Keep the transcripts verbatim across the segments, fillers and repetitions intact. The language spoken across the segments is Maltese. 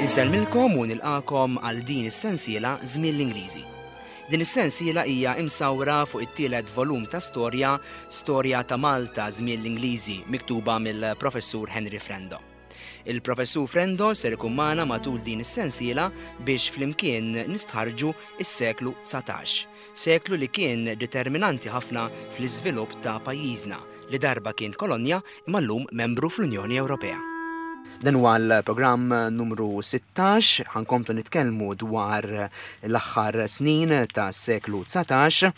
Insellmilkom u nilqakom għal din is-sensiela Żmien l-Ingliżi. Din is-sensiela hija imsawra fuq it-tielet volum ta' storja, Storja ta' Malta Żmien l-Ingliżi, miktuba mill-Professur Henry Frendo. Il-Professur Frendo ser ikun magħna matul din is-sensiela biex flimkien nistħarġu is-seklu dsatax, seklu li kien determinanti ħafna fl-iżvilupp ta' pajjiżna li darba kien kolonja imma llum membru fl-Unjoni Ewropea. Dan huwa l-programm numru sittax, ħa nkomplu nitkellmu dwar l-aħħar snin ta' seklu dsatax.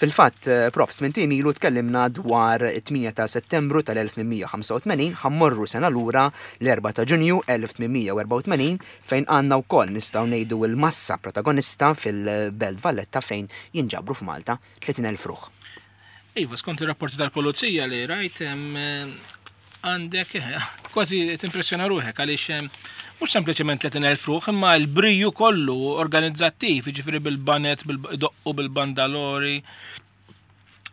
Fil-fatt, Prof, tmint ijiem ilu tkellimna dwar it-tmienja ta' Settembru tal-elf tmien mija u ħamsa u tmenin, ħa mmorru sena lura l-erbgħa ta' Ġunju elf tmien mija u erbgħa u tmenin, fejn għandna wkoll nistgħu ngħidu l-massa protagonista fil-Belt Valletta fejn jinġabru f'Malta tletin elf ruħ. Iva, skont ir-rapporti tal-pulizija li rajt, għandek, eh, kważi timpressjona ruħek għaliex, eh, mhux sempliċement tletin elf ruħ, imma l-briju kollu organizzattiv, jiġifieri bil-banet, bil-doqqu, bil-bandalori,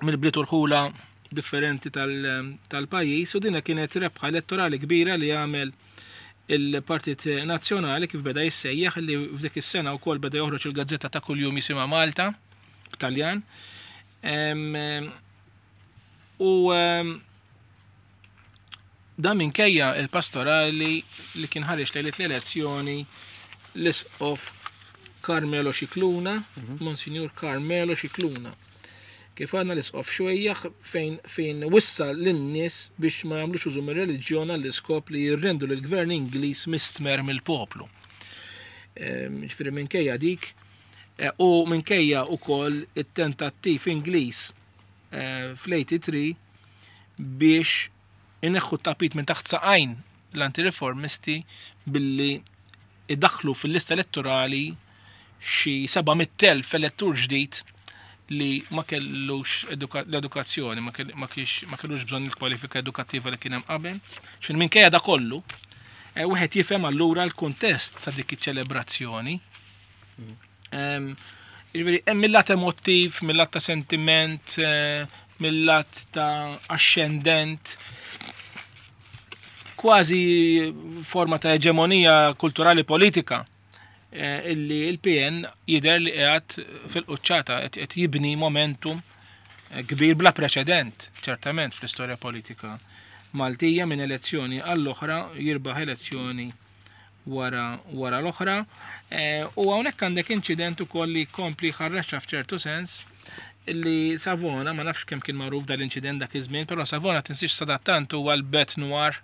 mill-bliet u rħula differenti tal-, tal-pajjiż, u dina kienet rebħa elettorali kbira li għamel il-Partit Nazzjonali kif beda jissejjaħ, li f'dik is-sena wkoll beda joħroġ il-gazzetta ta' kuljum jisimha Malta b'Taljan. Em, u, em, dan minkejja il-pastorali li kien ħareġ lejlet l-elezzjoni l-isqof Carmelo Scicluna, Mhm. Monsignor Carmelo Scicluna. Kif għandna l-isqof xwejjaħ fejn, fejn wissa lin-nies biex ma jagħmlux użu mir-reliġjon għall-iskop li jirrendu lill-gvern Ingliż mistmer mill-poplu. Ehm, ġifieri minkejja dik, eh, u minkejja wkoll it-tentattiv Ingliż, eh, fl-eighty-three biex ineħħu t-tapit minn taħt saqajn l-antireformisti billi idaħħlu fil-lista elettorali xi seba' mitt elf elettur ġdid li ma kellux eduka-, l-edukazzjoni, ma kell-, ma kiex, ma kellux bżonn il-kwalifika edukattiva li kien hemm qabel. Ġifieri minkejja da kollu, eh, wieħed jifhem allura l-kuntest ta' dik iċ-ċelebrazzjoni. Ehm, ġifieri hemm mill-lat emotiv, mill-lat ta' sentiment, eh, mill-lat ta' ascendent, kważi forma ta' eġemonija kulturali politika, eh, illi il-P N jidher li qiegħed fil-quċċata, qed, qed jibni momentum, eh, kbir bla preċedent, ċertament fl-istorja politika Maltija, minn elezzjoni għall-oħra jirbaħ elezzjoni wara, wara l-oħra. Eh, u hawnhekk għandek inċident ukoll li kompli ħarraxxa f'ċertu sens illi Savona, ma nafx kemm kien magħruf dal-inċident dak iż-żmien, però Savona tinsiex sadattant huwa l-bête noire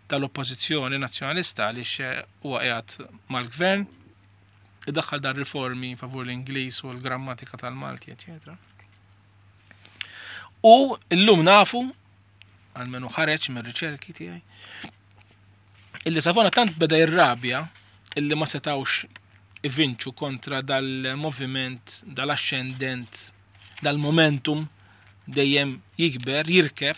tal-oppożizzjoni nazzjonalista għaliex huwa qiegħed mal-gvern, idaħħal dar riformi favur l-Ingliż u l-grammatika tal-Malti, eċċetera. U llum nafu, almenu ħareġ mir-riċerki tiegħi, illi Savona tant beda jirrabja illi ma setawx ivinċu kontra dal-moviment, dal-ascendent, dal-momentum dejjem jikber, jirkeb,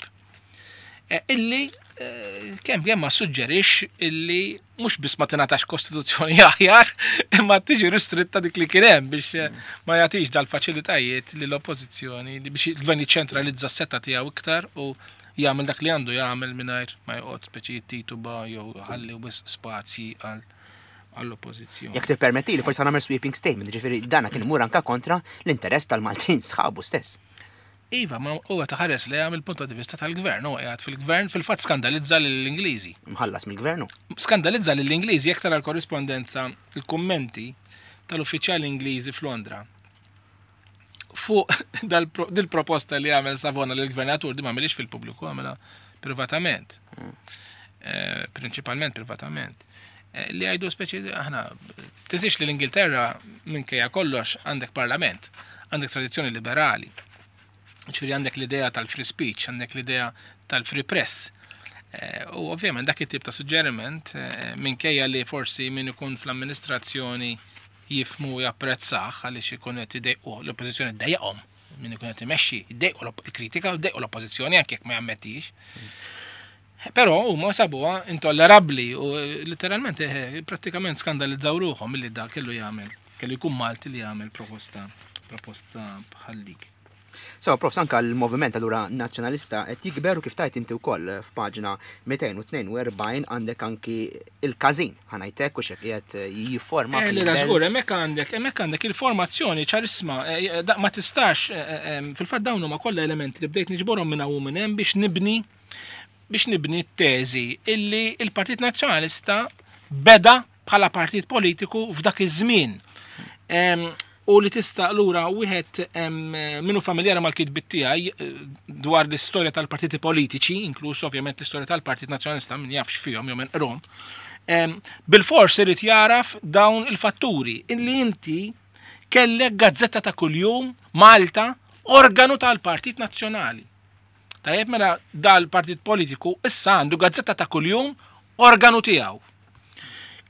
eh, illi, eh, kemm kemm ma suġġerix illi mhux biss ma tingħatax kostituzzjoni aħjar, imma tiġi ristritta dik li kien hemm biex, eh, ma jagħtix dal-faċilitajiet lill-oppożizzjoni biex il-gvern jiċċentralizza s-setta tiegħu iktar u jagħmel dak li għandu jagħmel mingħajr ma joqgħod speċi jittituba jew ħalli wisq spazji għal għall-oppożizzjoni. Jekk tippermetti li forsi nagħmel sweeping statement, ġifieri dana kien imur anka kontra l-interess tal-Maltin sħabu stess. Iva, ma huwa taħares li għamil punto di vista tal-gvern, huwa qiegħed fil-gvern fil-fatt skandalizza lill-Ingliżi. Mħallas mill-gvern hu. Skandalizza lill-Ingliżi jekk tara l-korrispondenza, il-kummenti tal-uffiċjali Ingliżi f'Londra fuq dal-pro-, dil-proposta li għamel Savona lill-gvernatur, di ma għamilix fil-pubbliku, għamilha privatament. Mm. Eh, prinċipalment privatament. Eh, li għajdu speċi, aħna, tinsiex li l-Ingilterra minkejja kollox għandek parlament, għandek tradizzjoni liberali. Ġifieri għandek l-idea tal-free speech, għandek l-idea tal-free press. Eh, u ovvjament dak it-tip ta' suġġeriment, eh, minkejja li forsi min ikun fl-amministrazzjoni jifmu u japprezzah għaliex ikun qed idejqu l-oppożizzjoni ddejjaqhom, min ikun qed imexxi jdejqu l-op-, il-kritika u jdejqu l-oppożizzjoni anke jekk ma jammettix. Però huma sabuha intollerabbli u letteralment, eh, prattikament skandalizzaw ruħhom milli dak kellu jagħmel, kellu jkun Malti li jagħmel proposta, proposta bħal dik. So, Prof, anka l-moviment allura nazzjonalista qed jikber u kif tajt inti wkoll f'paġna mitejn u tnejn u erbgħin għandek anki il-każin, ħa ngħidlek, u x'hekk qiegħed jifforma Eh, fil-belt. Le, żgur, hemmhekk għandek, hemmhekk għandek il-formazzjoni ċarisma, eh, eh, da, ma tistax, eh, eh, fil-fatt dawn huma kollha elementi li bdejt niġborhom minn hawn u minn hemm biex nibni biex nibni t-teżi illi il-Partit Nazzjonalista beda bħala partit politiku f'dak iż-żmien. Em, u li tista' lura wieħed, em, minnu familjari mal-kitbit tiegħi, eh, dwar l-istorja tal-partiti politiċi, inkluż ovvjament l-istorja tal-Partit Nazzjonalista, min jafx fihom jew minn qrom, em, bil-fors irid jaraf dawn il-fatturi illi inti kellek gazzetta ta' kuljum Malta, organu tal-Partit Nazzjonali. Tajjeb, mela dal-partit politiku issa għandu gazzetta ta' kuljum organu tiegħu.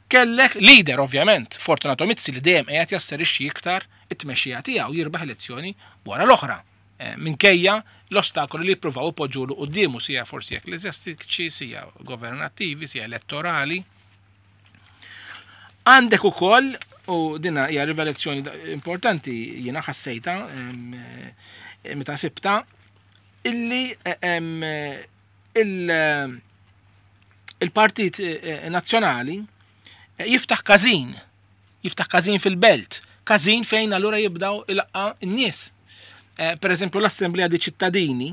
Kellek leader, ovvjament, Fortunato Mizzi, li dejjem qiegħed jasserixxi iktar it-tmexxija tiegħu, jirbaħ elezzjoni wara l-oħra. Eh, minkejja l-ostakoli li jippruvaw ipoġġulu quddiemu, sija forsi ekkleżjastiċi, sija governattivi, sija elettorali. Għandek ukoll, u dina hija rivelazzjoni da-, importanti jiena ħassejta, em, eh, meta sibta, illi, eh, em, il-, il-Partit, eh, Nazzjonali jiftaħ każin, jiftaħ każin fil-belt, każin fejn allura jibdaw ilaqqa n-nies. Eh, per eżempju, l-Assemblea di Ċittadini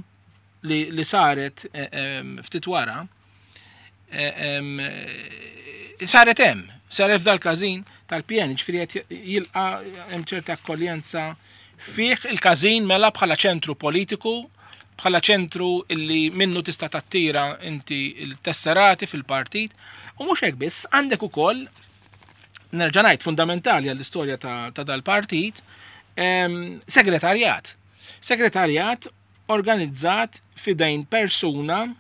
li, li saret, eh, em, ftit wara, eh, em, eh, saret hemm, saret f'dal każin tal-P N, ġifieri qed jilqa' hemm ċerta akkoljenza fih il-każin mela bħala ċentru politiku, bħala ċentru illi minnu tista' tattira inti il-tesserati fil-partit. U mhux hekk biss, għandek ukoll, nerġa' ngħid, fundamentali għall-istorja ta', ta' dal-partit, em, segretarjat. Segretarjat organizzat fidejn persuna,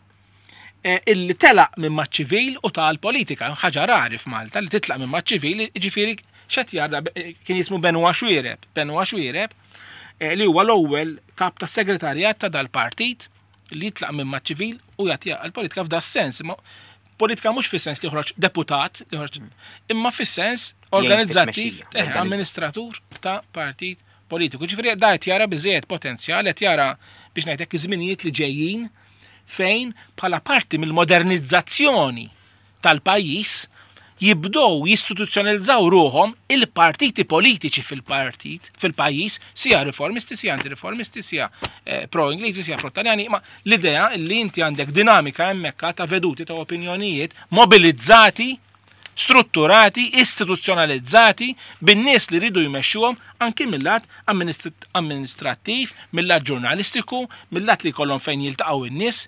eh, illi telaq minn maċ-ċivil u tal-politika, ħaġa rari f'Malta li titlaq minn maċ-ċivil, ġifieri x'qed jara, eh, kien jismu Benoit Xuereb, Benoit Xuereb, eh, li huwa l-ewwel kap tas-segretarjat ta' dal-partit li jitlaq minn maċ-ċivil u jagħti għall-politika f'da sens. Ma politika mhux fis-sens li joħroġ deputat, li joħroġ, imma fis-sens Jgħin organizzattiv, fit-tmexxija, eh, organizza. amministratur ta' partit politiku. Ġifieri da qed jara biżejjed potenzjal, qed jara biex ngħidlek iż-żminijiet li ġejjin fejn bħala parti mill-modernizzazzjoni tal-pajjiż jibdew jistituzzjonalizzaw ruhom il-partiti politiċi fil-partit, fil-pajjiż, sija riformisti, sija antireformisti, sija, eh, pro-Ingliżi, sija pro-Taljani, ma l-idea li inti għandek dinamika hemmhekk ta' veduti ta' opinjonijiet mobilizzati, strutturati, istituzzjonalizzati bin-nies li ridu jmexxuhom anki mill-lat amministri-, amministrattiv, mill-lat ġurnalistiku, mill-lat li jkollhom fejn jiltaqgħu in-nies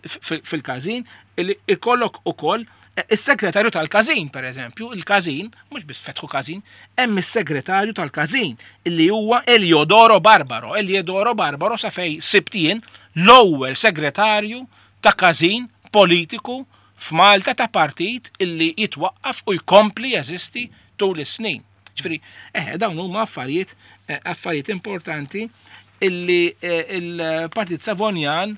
f-, f-, fil-każin, li jkollok ukoll is-segretarju tal-każin, per eżempju, il-każin, mhux biss fetħu każin, hemm is-segretarju tal-każin illi huwa Eliodoro Barbaro. Eliodoro Barbaro sa fej sibtien l-ewwel segretarju ta' każin politiku f'Malta ta' partit illi jitwaqqaf u jkompli jeżisti tul is-snin. Ġifieri, eh, dawn huma affarijiet, eh, affarijiet importanti illi, eh, il-Partit Savonjan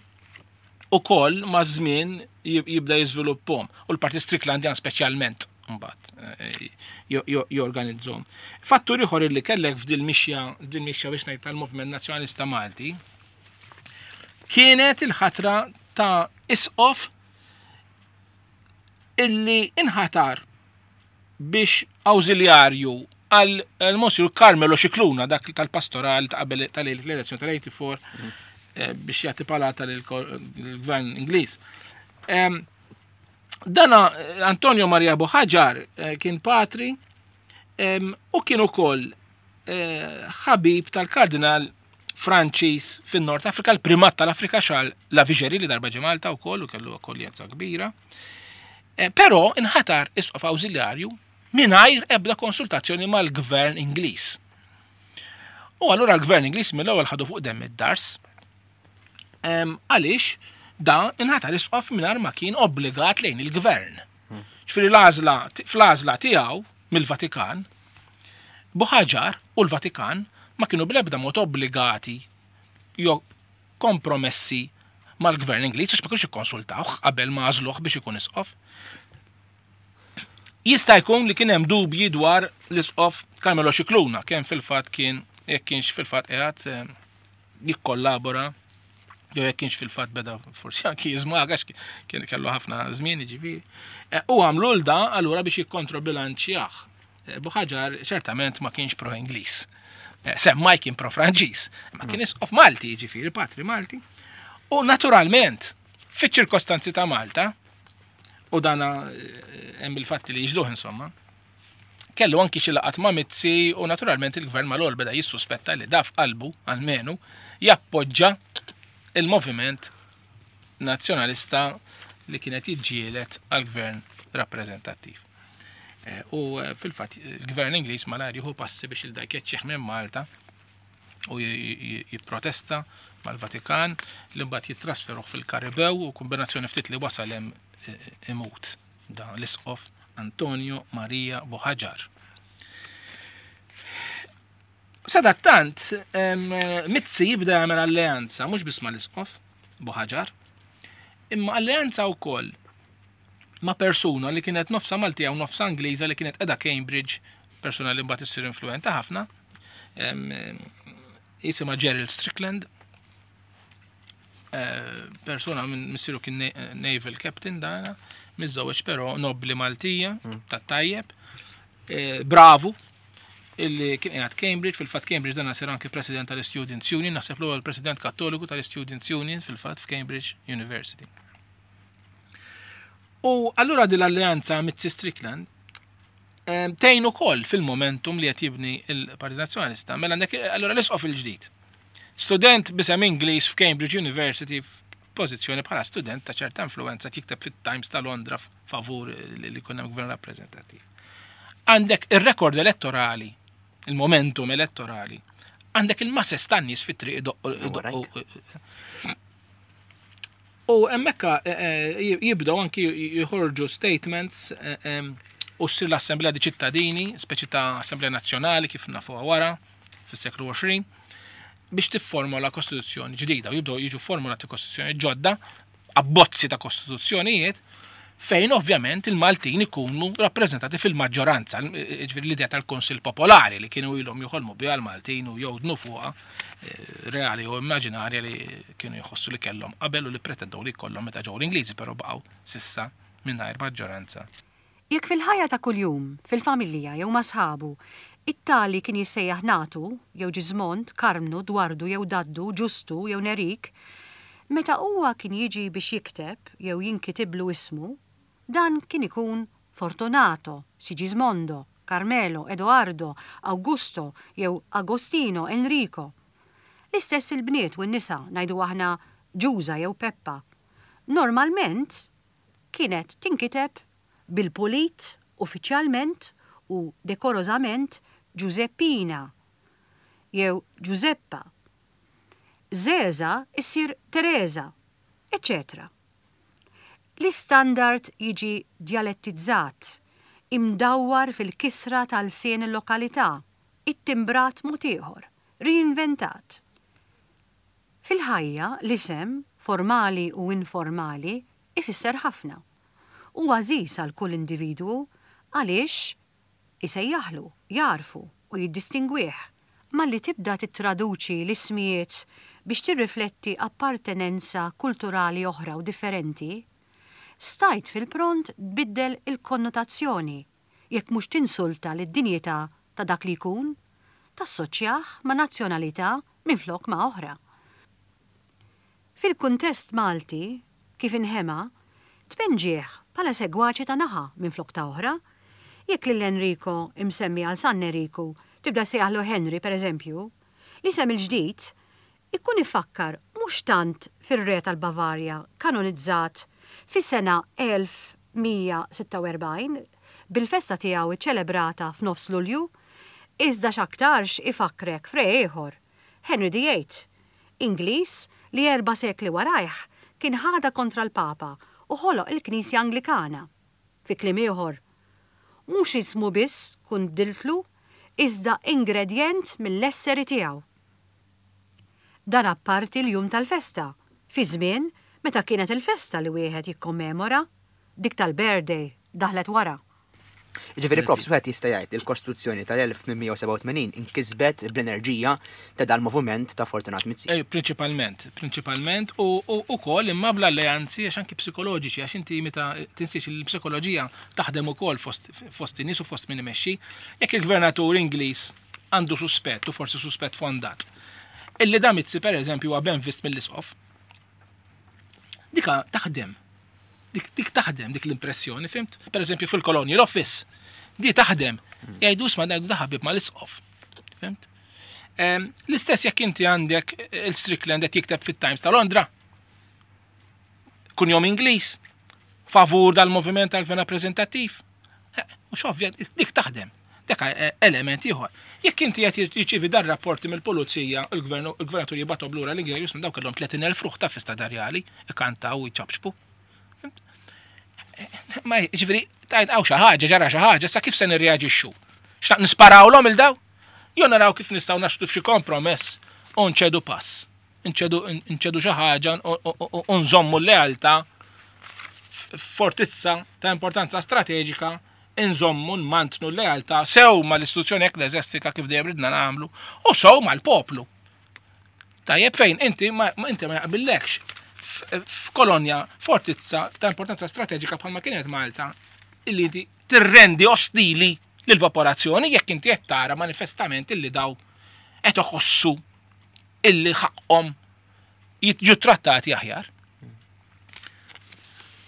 ukoll maż-żmien jib-, jibda jiżviluppahom, u l-Partit Stricklandian speċjalment mbagħad, eh, jo-, jo-, jorganizzhom. Fattur ieħor illi kellek f'dil mixja, f'dil mixja biex ngħid tal-Movement Nazzjonalista Malti kienet il-ħatra ta' isqof illi inħatar biex awżiljarju għal Monsignor Carmelo Scicluna, dak tal-pastoral ta' qabel tal-elezzjoni tal-eighty-four, Mhm. eh, biex jagħti palata lill-gvern Ingliż. Em, dana, eh, Antonio Maria Buhagiar, eh, kien patri, em, u kien ukoll, eh, ħabib tal-kardinal Franċiż fin-Nord Afrika, l-primat tal-Afrika Charles Lavigerie li darba ġie Malta wkoll u kellu akkoljenza kbira. Eh, però inħatar isqof awżiljarju mingħajr ebda konsultazzjoni mal-gvern Ingliż. U allura l-gvern Ingliż mill-ewwel ħadu fuq demm id-dars. Em, għaliex da inħatar isqof mingħajr ma kien obbligat lejn il-gvern. Ġifieri l-għażla fl-għażla tiegħu mill-Vatikan, Buhagiar u l-Vatikan ma kienu bl-ebda mod obbligati jew kompromessi mal-gvern Ingliż għax ma kienux ikkonsultawh qabel ma għażluh biex ikun isqof. Jista' jkun li kien hemm dubji dwar l-isqof Carmelo Scicluna, kemm fil-fatt kien, jekk kienx fil-fatt qiegħed, eh, jikkollabora, jew jekk kienx fil-fatt beda forsi anki jiżmaga, kien kellu ħafna żmien jiġifieri. Eh, u għamlu l da allura biex jikkontrobilanċjah. Eh, Buħaġar ċertament ma kienx pro-Ingliż. Eh, semmai kien pro-Franċiż, ma kien isqof Malti, jiġifieri patri Malti. U naturalment, fiċ-ċirkostanzi ta' Malta, u dana hemm il-fatti li jiġduh insomma, kellu anki xi laqat ma' Mizzi u naturalment il-gvern mal-ewwel beda jissuspetta li daf qalbu almenu jappoġġa il-moviment nazzjonalista li kienet jiġġieled għal-gvern rappreżentattiv. Eh, u eh, fil-fatt il-gvern Ingliż malajr jieħu passi biex il-da jkeċċih minn Malta u jipprotesta mal-Vatikan li mbagħad jittrasferuh fil-Karibew u kombinazzjoni ftit li wasal hemm eh, imut da l-isqof Antonio Maria Buħaġar. Sadattant, Mizzi jibda jagħmel alleanza mhux biss mal-isqof Buħaġar, imma alleanza wkoll ma' persuna li kienet nofsa Maltija u nofsa Ingliża li kienet qiegħda Cambridge, persuna li mbagħad issir influenta ħafna, jisimha Gerald Strickland, eh, persuna minn missieru kien naval captain dana, miżżewweġ però nobli Maltija, mm. tat-tajjeb, eh, bravu, illi kien qiegħed Cambridge, fil-fatt Cambridge dan sir anke president tal-Students Union, naħseb l-ewwel president kattoliku tal-Students Union fil-fatt f'Cambridge University. U allura din l-alleanza Mizzi Strickland tgħin ukoll fil-momentum li qed jibni il-Partit Nazzjonalista. Mela għandek allura l-isqof il-ġdid. Student bisem Ingliż f'Cambridge University f'pożizzjoni bħala student ta' ċerta influenza jikteb fit-Times ta' Londra favur li jkun hemm gvern rappreżentattiv. Għandek ir-rekord elettorali, il-momentum elettorali, għandek il-masses tan-nies fit-triq idoqqu. U hemmhekk eh, eh, jibdew anki jħorġu statements eh, u ssir l-Assemblea di ċittadini, speċi ta' Assemblea Nazzjonali kif nafuha wara fis-seklu għoxrin, biex tifformola kostituzzjoni ġdida u jibdew jiġu formulati kostituzzjoni ġodda, abbozzi ta' kostituzzjonijiet, fejn ovvjament il-Maltin ikunu rappreżentati fil-maġġoranza, ġifieri l-idea tal-Konsil Popolari li kienu ilhom joħolmu biha l-Maltin u jgħodnu fuqha eh, reali u immaġinarja li kienu jħossu li kellhom qabel u li pretendew li jkollhom meta ġew l-Ingliżi, però baqgħu sissa mingħajr maġġoranza. Jekk fil-ħajja ta' kuljum, fil-familja jew ma' sħabu, it-tali kien jissejjaħ Natu, jew Ġiżmond, Karmnu, Dwardu jew Daddu, Ġustu jew Nerik, meta huwa kien jiġi biex jikteb jew jinkitiblu ismu, dan kien ikun Fortunato, Sigismondo, Carmelo, Edoardo, Augusto jew Agostino, Enrico. L-istess il-bniet u n-nisa, ngħidu aħna Ġuża jew Peppa. Normalment kienet tinkiteb bil-pulit, uffiċjalment u dekorożament Giuseppina jew Giuseppa. Zeza issir Teresa, eċċetera. L-istandard jiġi djalettizzat, imdawwar fil-kisra tal-sien il-lokalità, ittimbrat mod ieħor, reinventat. Fil-ħajja, l-isem, formali u informali, ifisser ħafna. U għażiż għal kull individwu għaliex isejjaħlu, jarfu u jiddistingwih. Malli tibda tittraduċi l-ismijiet biex tirrifletti appartenenza kulturali oħra u differenti, stajt fil-pront tbiddel il-konnotazzjoni, jekk mhux tinsulta lid-dinjità ta' dak li jkun, tassoċjah ma' nazzjonalità minflok ma' oħra. Fil-kuntest Malti, kif inħema, tpenġih bħala segwaċi ta' naħa minflok ta' oħra, jekk lil Enrico imsemmi għal San Enriku tibda sejjaħlu Henry pereżempju, l-isem il-ġdid ikun ifakkar mhux tant fir-re tal-Bavarja kanonizzat fis-sena elf mija sitta u erbgħin bil-festa tiegħu ċċelebrata f'nofs Lulju, iżda x'aktarx ifakkrek f're ieħor, Henry the Eighth, Ingliż li erba' sekli warajh kien ħadha kontra l-Papa u ħoloq il-Knisja Anglikana. Fi kliem ieħor, mhux ismu biss tkun bdiltlu, iżda ingredjent mill-esseri tiegħu. Dan apparti l-jum tal-festa, fi żmien meta kienet il-festa li wieħed jikkommemora, dik tal-birthday daħlet wara. Ġifieri prof, wieħed jista' jgħid il-Kostituzzjoni tal-elf tmien mija u sebgħa u tmenin inkisbet bl-enerġija ta' dal-moviment ta' Fortunat Mizzi. Eh, prinċipalment, prinċipalment u, u ukoll imma bl-alleanzi għax anki psikoloġiċi, għax inti meta tinsiex il-psikoloġija taħdem ukoll fost, fost in-nies u fost min imexxi. Jekk il-gvernatur Ingliż għandu suspett, u forsi suspett fondat, illi da Mizzi per eżempju huwa ben vist mill-isqof, dika taħdem. Dik, dik taħdem, dik l-impressjoni, fimt? Per eżempju fil-Colonial Office, di taħdem. Jgħidu isma' ngħidu da ħabib mal-isqof. Fimt? Em, l-istess jekk inti għandek il-Strickland qed jikteb fit-Times ta' Londra, kunjom Ingliż, favur dal-moviment tal-gvern rappreżentattiv. Eh, mhux ovvja, dik taħdem. Dak element ieħor. Jekk inti qed jirċievi dar rapporti mill-pulizija, il-gvern, il-gvernatur jibgħathom lura l-Ingliż, jisma' dawk kellhom tletin elf ruħ ta' fista darjali, ikantaw u jċabxbu. Fimt? Ma ġifieri, tajt hawn xi ħaġa, ġara xi ħaġa, sa kif se nirreaġixxu? X'naq nisparawlhom il daw? Jew naraw kif nistgħu naslu f'xi kompromess u nċedu pass. Nċedu, nċedu xi ħaġa u, u, u, u nżommu l-lealtà fortizza ta' importanza strateġika, inżommu nmantnu l-lealtà sew mal-istituzzjoni ekkleżjastika kif dejjem ridna nagħmlu u sew mal-poplu. Tajjeb fejn inti ma, inti ma jaqbillekx f-, f'kolonja fortizza ta' importanza strateġika bħalma kienet Malta illi inti tirrendi ostili lill-popolazzjoni jekk inti qed tara manifestament illi daw qed iħossu illi ħaqhom jiġu trattati aħjar.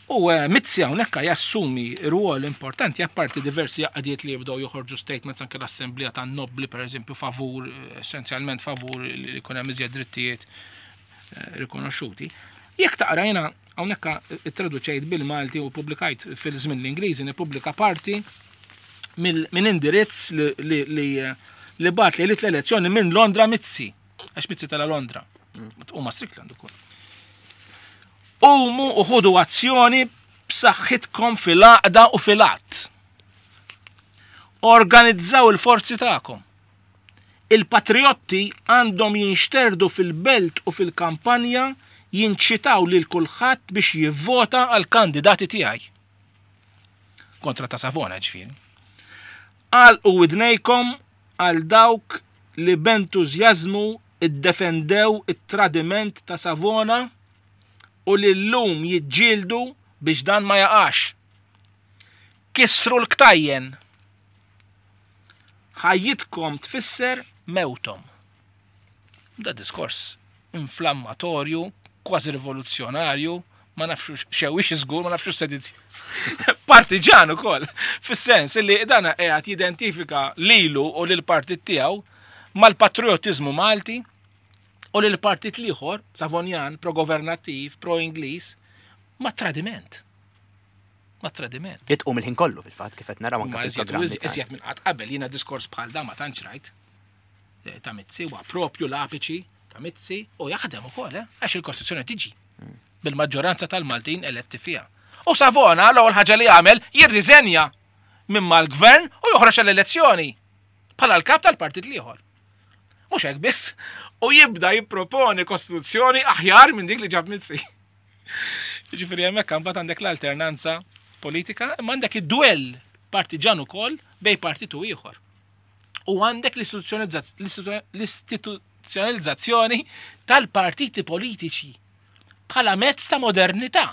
U, eh, Mizzi hawnhekk jassumi rwol importanti apparti diversi għaqdiet li jibdew joħorġu statements anke l-Assemblea tan-Nobbli pereżempju favur, essenzjalment favur li jkun hemm iżjed drittijiet, eh, rikonoxxuti. Jekk taqra jiena hawnhekk ittraduċejt bil-Malti u pubblikajt fil-żmien l-Ingliżi, nippubblika parti mill-, minn indirizz li, li, li, li bat li l-elezzjoni minn Londra Mizzi, għax Mizzi tala Londra, u ma' Strickland ukoll. Umu u ħudu azzjoni b'saħħitkom fil-għaqda u fil-att. Organizzaw il-forzi tagħkom. Il-patriotti għandhom jinxterdu fil-belt u fil-kampanja jinċitaw lil kulħadd biex jivvota għal kandidati tiegħi. Kontra ta' Savona ġifieri. Għalqu widnejkom għal dawk li b'entużjażmu iddefendew it-tradiment ta' Savona u li llum jiġġieldu biex dan ma jaqax. Kissru l-ktajjen. Ħajjitkom tfisser mewtom. Da diskors inflammatorju, kważi rivoluzzjonarju, ma nafx xewix żgur, ma nafx sedizzjuż. Partiġan ukoll, fis-sens li dana qiegħed jidentifika lilu u lil partit tiegħu mal-patriotizmu Malti u lil partit l-ieħor, Savonjan, pro-governattiv, pro-Ingliż, ma' tradiment. Ma' tradiment. Li tqum il-ħin kollu fil-fatt kif qed naraw anke Ma iżjed fil-programmi u tagħna. iżjed minn qatt qabel jiena diskors bħal dan ma tantx rajt. Eh, ta' Mizzi huwa propju l-apiċi ta' Mizzi u jaħdem ukoll, eh, għax il-Kostituzzjoni tiġi bil-maġġoranza tal-Maltin eletti fiha. U Savona l-ewwel ħaġa li jagħmel jirriżenja minn mal-gvern u joħroġ għall-elezzjoni bħala l-kap tal-partit l-ieħor. Mhux hekk biss, u jibda jipproponi kostituzzjoni aħjar minn dik li ġab Mizzi. Jiġifieri hemmhekk imbagħad għandek l-alternanza politika, imma għandek id-duell partiġan ukoll bej partit u ieħor. U għandek l-istituzzjonalizza-, l-istitu-, l-istituzzjonalizzazzjoni tal-partiti politiċi bħala mezz ta' modernità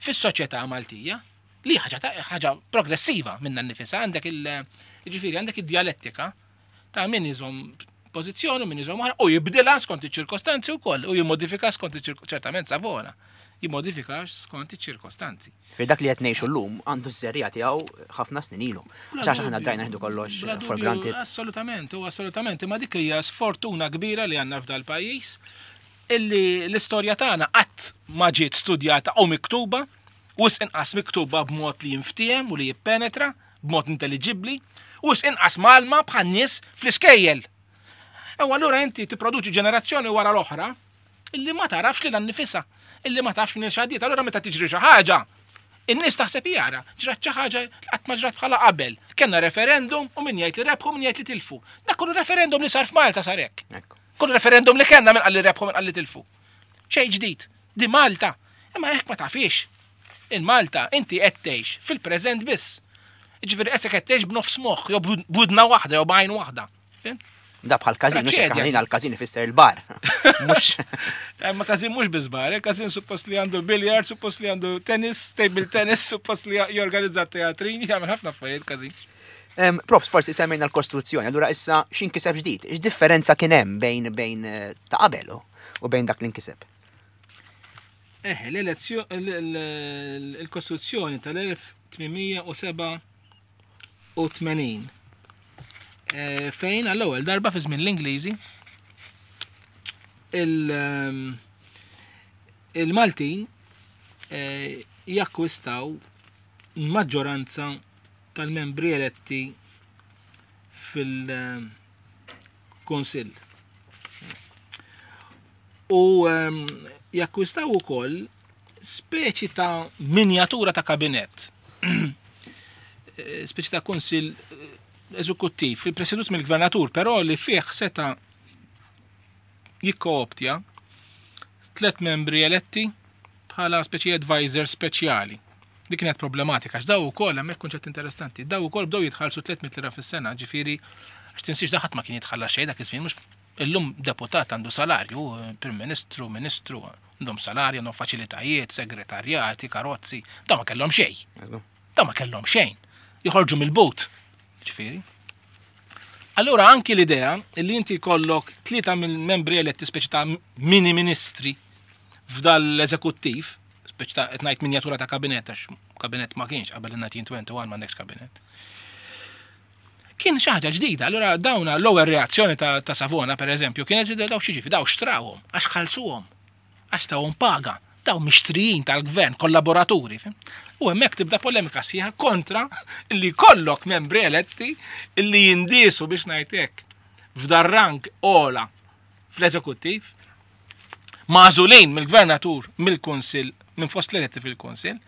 fis-soċjetà Maltija, li ħaġa ta-, ħaġa progressiva minna nnifisha. Għandek il-, jiġifieri għandek id-dialettika ta' min iżomm pożizzjoni u min iżomm oħra u jibdilha skont iċ-ċirkostanzi wkoll u jimmodifika skont iċ-ċirko-, ċertament Savona jimmodifika skont iċ-ċirkostanzi. Fi dak li qed ngħixu llum għandu ż-żerriegħa tiegħu ħafna snin ilu. Bla Għax aħna dubju. drajna nieħdu kollox Bla for dubju, granted. Assolutament, u assolutament, imma dik hija sfortuna kbira li għandna f'dal pajjiż illi l-istorja tagħna qatt ma ġiet studjata u miktuba, wisq inqas miktuba b'mod li jinftiehem u li jippenetra, b'mod intelligibbli, wisq inqas malma bħal nies fl-iskejjel. U allura inti tipproduċi ġenerazzjoni wara l-oħra illi ma tarafx lilha nnifisha, illi ma tafx minn x'għaddiet. Allura meta tiġri xi ħaġa, in-nies taħseb jara, ġrat xi ħaġa qatt ma ġrat bħala qabel. Kellna referendum u min jgħid li rebħu min jgħid li tilfu. Dak kollu referendum li sar f'Malta sar hekk. Ekku. Kull referendum li kellna min qal li rebħu min qal li tilfu. Xejn ġdid, di Malta. Imma hekk ma tafix. In Malta inti qed tgħix fil-preżent biss. Ġifieri qisek qed tgħix b'nofs moħħ, jew b'widna waħda, jew b'għajn waħda. Fhimt? Da bħal każin, mhux hekk Traċedja. għalina l-każin ifisser il-bar. Mhux Ma każin mhux biss bar, eh, każin suppost li għandu billiard, suppost li għandu tennis, table tennis, suppost li jorganizza teatrini, jagħmel ħafna affarijiet każin. Em, Profs, forsi semmejna l-kostruzzjoni, allura issa x'inkiseb ġdid? X'differenza kien hemm bejn bejn eh, ta' qabel u- u bejn dak li nkiseb? Eh, l-elezzjoni, il-Kostituzzjoni tal-elf tmien mija u sebgħa u tmenin. Eh, Fejn għall-ewwel darba fi żmien l-Ingliżi il- ehm, il-Maltin eh, jakkwistaw maġġoranza tal-membri eletti fil-Kunsill. U ehm, jakkwistaw ukoll speċi ta' minjatura ta' kabinett. Eh, speċi ta' kunsill eh, eżekuttiv, presedut mill-gvernatur, però li fih seta' jikkooptja tlet membri eletti bħala speċi advisor speċjali. Dik kienet problematika, għax daw ukoll hemmhekk kunċett interessanti, daw ukoll bdew jitħallsu tliet mitt lira fis-sena, ġifieri għax tinsiex da ħadd ma kien jitħallas xejn dak iż-żmien, mhux illum deputat għandu salarju, Prim Ministru, Ministru, għandhom salarju, għandhom faċilitajiet, segretarjati, karozzi, daw ma kellhom xejn. Daw ma kellhom xejn. Joħorġu mill-but. Ġifieri. Allura anki l-idea li inti jkollok tlieta mill-membri eletti, speċi ta' mini ministri f'dal-eżekuttiv, speċi ta' qed ngħid minjatura ta' kabinett, għax kabinett ma kienx qabel il-elf disa' mija u wieħed u għoxrin, m'għandekx kabinett. Kien xi ħaġa ġdida, allura dawna l-ewwel reazzjoni ta', ta' Savona, per eżempju, kienet ġdida: daw xi ġifi, daw xtrawhom, għax ħallsuhom, għax tawhom paga, daw mixtrijin tal-gvern, kollaboraturi. Fim? U hemmhekk tibda polemika sħiħa kontra li kollok membri eletti li jindisu, biex ngħid hekk, f'dar rank ola fl-eżekuttiv, magħżulin mill-gvernatur, mill-kunsill, minn fost l-eletti fil-kunsill,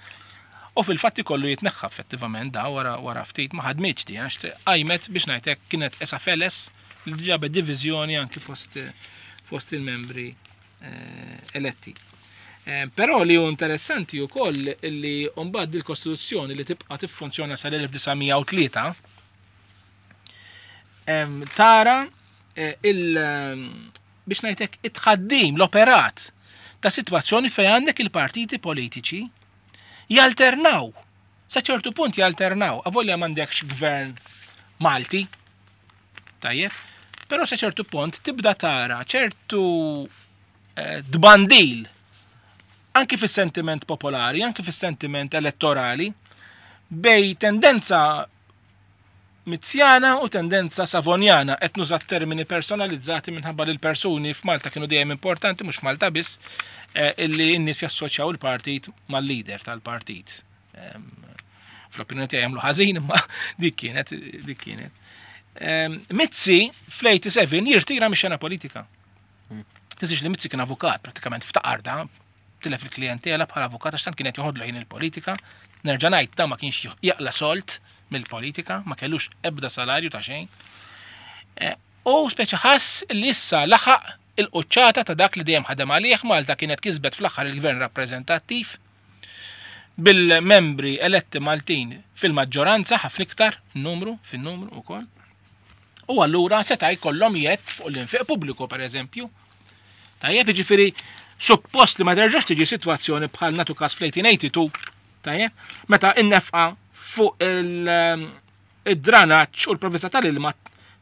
u fil-fatti kollu jitneħħa effettivament da wara wara ftit. Ma ħadmitx di, għax qajmet, biex ngħid hekk, kienet esa feles li ġabet diviżjoni anki fost fost il-membri eh, eletti. Eh, Però li hu interessanti wkoll li mbagħad il-Kostituzzjoni li tibqa' tiffunzjona sal-elf disa' mija u tlieta em, tara eh, il em, biex ngħidlek it-tħaddim, l-operat ta' sitwazzjoni fejn għandek il-partiti politiċi jalternaw. Sa ċertu punt jalternaw, avolja m'għandekx gvern Malti, tajjeb, però sa ċertu punt tibda tara ċertu eh, tbandil anki fis-sentiment popolari, anki fis-sentiment elettorali, bejn tendenza Mizzjana u tendenza Savonjana. Qed nuża termini personalizzati minħabba li l-persuni f'Malta kienu dejjem importanti, mhux f'Malta biss, eh, illi n-nies jassoċjaw il-partit mal-leader tal-partit. Em, Fl-opinjoni tiegħi jagħmlu ħażin, imma dik kienet, dik kienet. Em, Mizzi fl-sebgħa u tmenin jirtira mix-xena politika. Tinsiex li Mizzi kien avukat, pratikament ftaqar da, tilef il-klientela bħala avukat għax tant kienet joħodlu ħin il-politika. Nerġa' ngħid, da ma kienx jaqla solt mill-politika, ma kellux ebda salarju ta' xejn. Eh, U speċi ħass li issa laħaq il-quċċata ta' dak li dejjem ħadem għalih. Malta kienet kisbet fl-aħħar il-gvern rappreżentattiv bil-membri eletti Maltin fil-maġġoranza, ħafna iktar numru, fin-numru ukoll. U allura seta' jkollhom jett fuq l-infiq pubbliku, per eżempju. Tajjeb, jiġifieri suppost li ma terġax tiġi sitwazzjoni bħal natu każ fl-elf tmien mija u tnejn u tmenin, tajjeb, meta in-nefqa fuq il- id-dranaġġ u l-provvista tal-ilma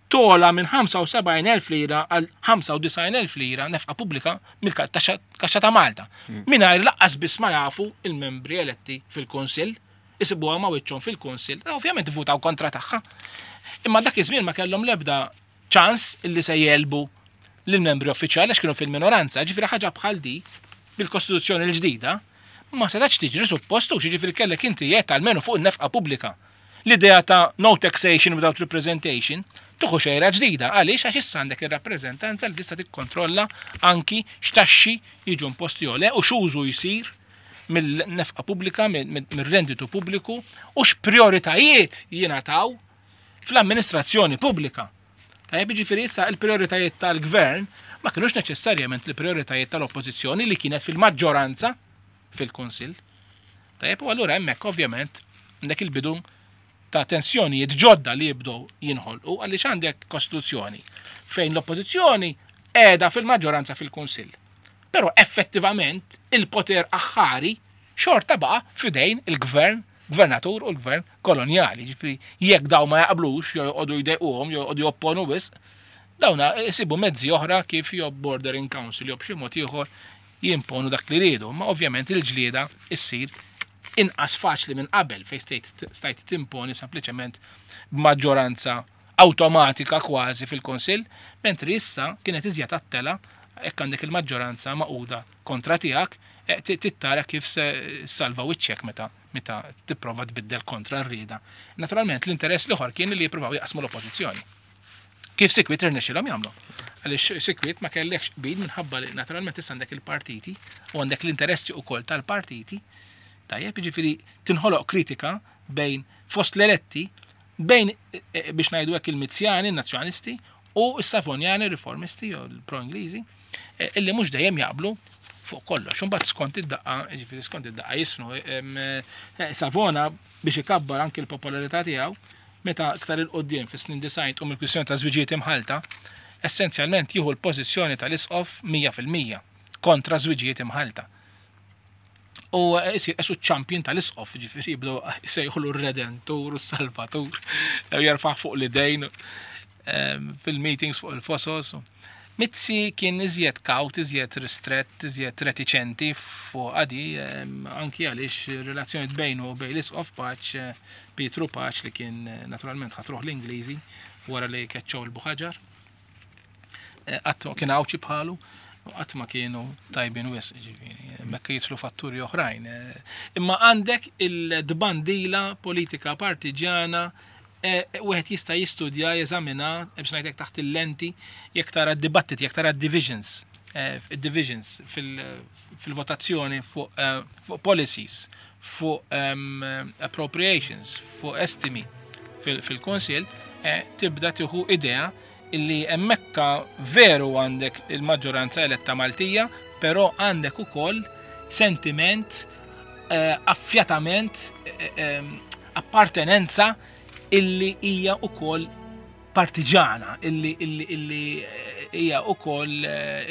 tola minn ħamsa u sebgħin elf lira għal ħamsa u disgħin elf lira nefqa pubblika mill-kaxxa ta' Malta. Mingħajr lanqas biss ma jafu il-membri eletti fil-Kunsill, isibuha ma' wiċċhom fil-Kunsill, ovvjament votaw kontra tagħha. Imma dak iż-żmien ma kellhom l-ebda ċans illi se jegħlbu lill-membri uffiċjali għax kienu fil-minoranza, ġifieri ħaġa bħal di bil-Kostituzzjoni l-ġdida ma setax tiġri suppostu, ġifieri kellek inti jett almenu fuq in-nefqa pubblika. L-idea ta' no taxation without representation tuħu xejra ġdida, għaliex? Għax issa għandek ir-rappreżentanza li tista' tikkontrolla anki x'taxxi jiġu imposti jew le u x'użu jsir mill-nefqa pubblika, mill-renditu pubbliku u x'prioritajiet jingħataw fl-amministrazzjoni pubblika. Tajjeb, jiġifieri issa il-prioritajiet tal-gvern ma kienux neċessarjament il-prioritajiet tal-oppożizzjoni li kienet fil-maġġoranza fil-Kunsill. Tajjeb, u allura hemmhekk ovvjament għandek il-bidu ta' tensjonijiet ġodda li jibdew jinħolqu għaliex għandek kostituzzjoni fejn l-oppożizzjoni qiegħda fil-maġġoranza fil-Kunsill. Però effettivament il-poter aħħari xorta baqa' f'idejn il-gvern, gvernatur u l-gvern kolonjali. Ġifieri jekk daw ma jaqblux, jew joqogħdu jdejquhom, jew joqogħdu jopponu wisq, dawna jsibu mezzi oħra kif jew bordering council jew b'xi mod ieħor jimponu dak li rridu. Ma ovvjament il-ġlieda issir inqas faċli minn qabel fejn stajt stajt timponi sempliċement b'maġġoranza awtomatika kważi fil-Kunsill, mentri issa kienet iżjed għat-telgħa jekk għandek il-maġġoranza magħquda kontra tiegħek, eh, tittara kif se salva wiċċek meta meta tipprova tbiddel kontra r-rieda. Naturalment l-interess l-ieħor kien li jippruvaw jaqsmu l-oppożizzjoni. Kif sikwit irnexxilhom jagħmlu. Għaliex sikwit ma kellekx qbil minħabba li naturalment issa għandek il-partiti u għandek l-interessi wkoll tal-partiti. Tajjeb, jiġifieri tinħoloq kritika bejn fost l-eletti, bejn eh, eh, biex ngħidu hekk il-Mizzjani, il-Nazzjonalisti u s-Savonjani, riformisti jew l-pro-Ingliżi, eh, illi mhux dejjem jaqblu fuq kollox. Imbagħad skont id-daqqa, jiġifieri skont id-daqqa jisfnu. Savona biex ikabbar anki l-popolarità tiegħu, meta iktar 'il quddiem fis-snin disgħin tqum il-kwistjoni ta' żwiġijiet imħalta, essenzjalment jieħu l-pożizzjoni tal-isqof mija fil-mija kontra żwiġijiet imħalta. U jisir esu champion tal-isqof, ġifieri jibdew jsejħulu r-redentur u s-salvatur, jerfaħ fuq l-idejn fil-meetings fuq il-fosos. Mizzi kien iżjed kawt, iżjed ristrett, iżjed reticenti fuq għadi, anki għaliex relazzjoni bejnu u bejn l-isqof Pace, Pietru Pace, li kien naturalment ħatruh l-Ingliżi wara li keċċew il-Buħaġar. Qatt kien għawċi bħalu, u qatt ma kienu tajbin wisq, ġifieri, mekka jidħlu fatturi oħrajn. Imma għandek il-dbandila politika partiġana, wieħed jista' jistudja, jeżamina, biex ngħidlek taħt il-lenti, jekk tara d-dibattiti, jekk tara divisions, divisions fil-votazzjoni fuq policies, fuq appropriations, fuq estimi fil-Kunsill, tibda tieħu idea illi hemmhekk veru għandek il-maġġoranza eletta Maltija, però għandek ukoll sentiment, affjatament, appartenenza illi hija ukoll partiġana, illi, illi, illi hija ukoll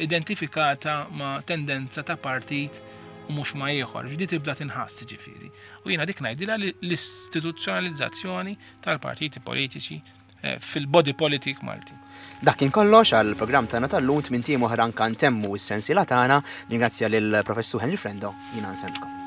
identifikata ma' tendenza ta' partit u mhux ma' ieħor. Ġdi tibda tinħass ġifieri. U jiena dik ngħidilha l-istituzzjonalizzazzjoni tal-partiti politiċi fil-body politic Malti. Dak kien kollox għal programm tagħna tal-lum, tmint ijiem oħra anke ntemmu s-sensiela tagħna. Ningrazzja lill-Professur Henry Frendo, jiena nsellmilkom.